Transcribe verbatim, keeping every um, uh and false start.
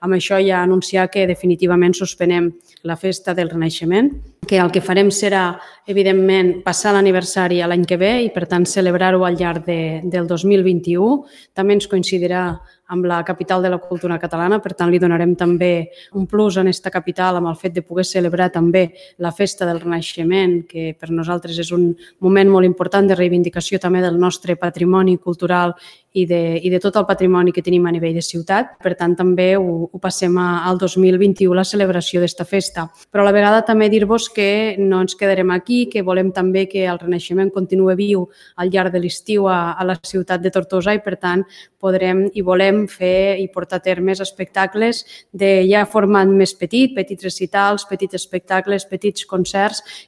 amb això ja anunciar que definitivament suspenem la Festa del Renaixement, que el que farem serà, evidentment, passar l'aniversari a l'any que ve i, per tant, celebrar-ho al llarg de, del dos mil vint-i-u. També ens coincidirà amb la capital de la cultura catalana, per tant, li donarem també un plus en aquesta capital amb el fet de poder celebrar també la Festa del Renaixement, que per nosaltres és un moment molt important de reivindicació també del nostre patrimoni cultural i de, i de tot el patrimoni que tenim a nivell de ciutat. Per tant, també ho, ho passem a, al dos mil vint-i-u, la celebració d'esta festa. Però a la vegada també dir-vos que no ens quedarem aquí, que volem també que el Renaixement continue viu al llarg de l'estiu a, a la ciutat de Tortosa i, per tant, podrem i volem fer i portar a terme espectacles de ja format més petit, petits recitals, petits espectacles, petits concerts,